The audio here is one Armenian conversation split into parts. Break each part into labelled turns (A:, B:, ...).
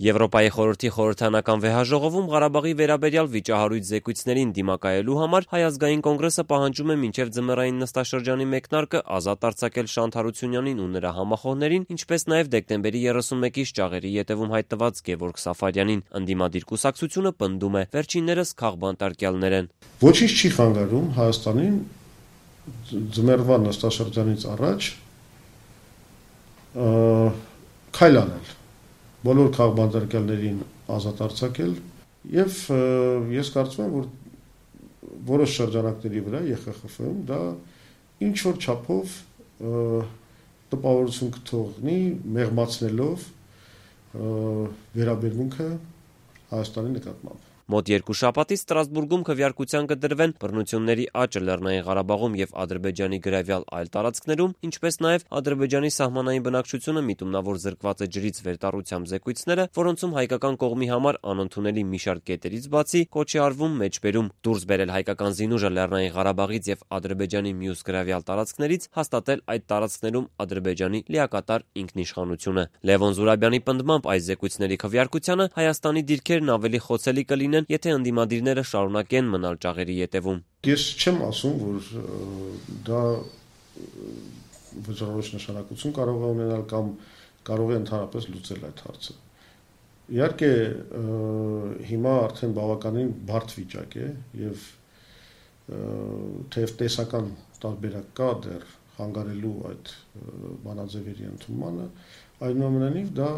A: Եվրոպայի խորհրդի խորհրդարանական վեհաժողովում Ղարաբաղի վերաբերյալ վիճահարույց զեկույցներին դիմակայելու համար Հայ ազգային կոնգրեսը պահանջում է մինչև ձմեռային նստաշրջանի մեկնարկը ազատ արձակել Շանթ Հարությունյանին ու նրա համախոհներին, ինչպես նաև դեկտեմբերի 31-ից ճաղերի ետևում հայտնված Գևորգ Սաֆարյանին։ Ընդդիմադիր կուսակցությունը պնդում է, վերջիններս քաղբանտարկյալներ են։
B: Ոչինչ չի խանգարում Հայաստանին ձմեռվա նստաշրջանից առաջ քայլ անել, բոլոր քաղբանտարկյալներին ազատ արձակել, եւ ես կարծում եմ, որ որոշ շրջանակների վրա ԵԽԽՖ-ում դա ինչ որ չափով տպավորություն կթողնի, մեղմացնելով վերաբերմունքը Հայաստանի նկատմամբ։
A: Մոտ 2 շաբաթից Ստրասբուրգում քվեարկության կդրվեն բռնությունների աճը Լեռնային Ղարաբաղում եւ Ադրբեջանի գրավյալ այլ տարածքներում, ինչպես նաեւ Ադրբեջանի սահմանային բնակչությունը միտումնավոր զրկված է ջրից վերտառությամբ զեկույցները, որոնցում հայկական կողմի համար անընդունելի մի շարք կետերից բացի կոչ է արվում մեջբերում դուրս բերել հայկական զինուժը Լեռնային Ղարաբաղից եւ Ադրբեջանի մյուս գրավյալ տարածքներից, հաստատել այդ տարածքներում Ադրբեջանի լիակատար ինքնիշխանությունը։ Լևոն Զուրաբյանի պնդմամբ այս զեկույցների քվեարկությանը Հայաստանի դիրքերն ավելի խոցելի կլինեն, եթե ընդդիմադիրները շարունակեն մնալ ճաղերի ետևում։
B: Ես չեմ ասում, որ դա վճռորոշ նշանակություն կարող է ունենալ կամ կարող է ընդհանրապես լուծել այդ հարցը։ Իհարկե, հիմա արդեն բավականին բարդ վիճակ է եւ թեև տեսական տարբերակ կա դեռ խանգարելու այդ բանաձևերի ընդունմանը, այնուամենայնիվ դա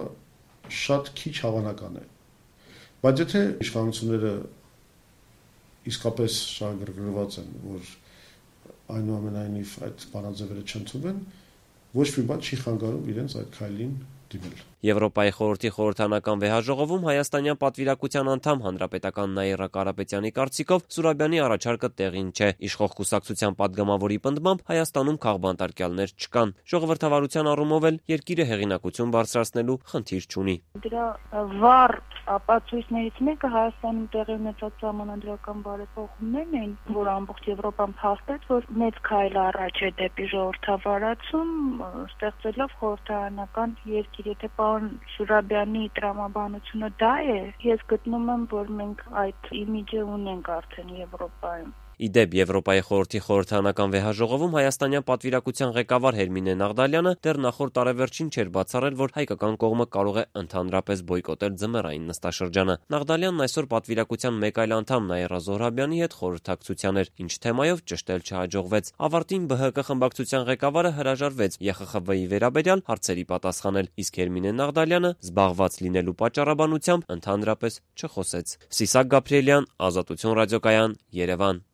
B: շատ քիչ հավանական է։ Բայց եթե իշխանությունները իսկապես շահագրգռված են, որ այնուամենայնիվ այդ բանաձևերը չընդունվեն, ոչ մի բան չի խանգարում իրենց այդ քայլին դիմել։
A: Եվրոպայի խորհրդի խորհրդարանական վեհաժողովում հայաստանյան պատվիրակության անդամ հանրապետական Նաիրա Կարապետյանի կարծիքով Զուրաբյանի առաջարկը տեղին չէ։ Իշխող կուսակցության падգամավորի պնդմամբ Հայաստանում քաղբանտարկյալներ չկան։ Ժողովրդավարության առումով էլ երկիրը հեղինակություն բարձրացնելու խնդիր չունի։
C: Դրա վառ ապացույցներից մեկը Հայաստանում տեղի ունեցած սահմանադրական բարեփոխումներն էին, որ ամբողջ Եվրոպան փաստեց, որ մեծ քայլ առաջ է դեպի ժողովրդավարացում, ստեղծելով խորհրդարանական երկիր։ Եթե պարոն Զուրաբյանի տրամաբանությունը դա է, ես գտնում եմ, որ մենք այդ իմիջը ունենք արդեն Եվրոպայում։
A: Իդեպ Եվրոպայի խորհրդի խորհրդարանական վեհաժողովում հայաստանյան պատվիրակության ղեկավար Հերմինե Նաղդալյանը դեռ նախորդ տարեվերջին չէր բացառել, որ հայկական կողմը կարող է ընդհանրապես բոյկոտել ձմեռային նստաշրջանը։ Նաղդալյանն այսօր պատվիրակության մեկ այլ անդամ Նաիրա Զոհրաբյանի հետ խորհրդակցության էր, ինչ թեմայով ճշտել չհաջողվեց։ Ավարտին ԲՀԿ խմբակցության ղեկավարը հրաժարվեց ԵԽԽՎ-ի վերաբերյալ հարցերի պատասխանել, իսկ Հերմինե Նաղդալյանը զբաղված լինելու պատճառաբանությամբ ընդհանրապես չխոսեց։ Սիսակ Գաբրիելյան, Ազատություն ռադիոկայան, Երևան։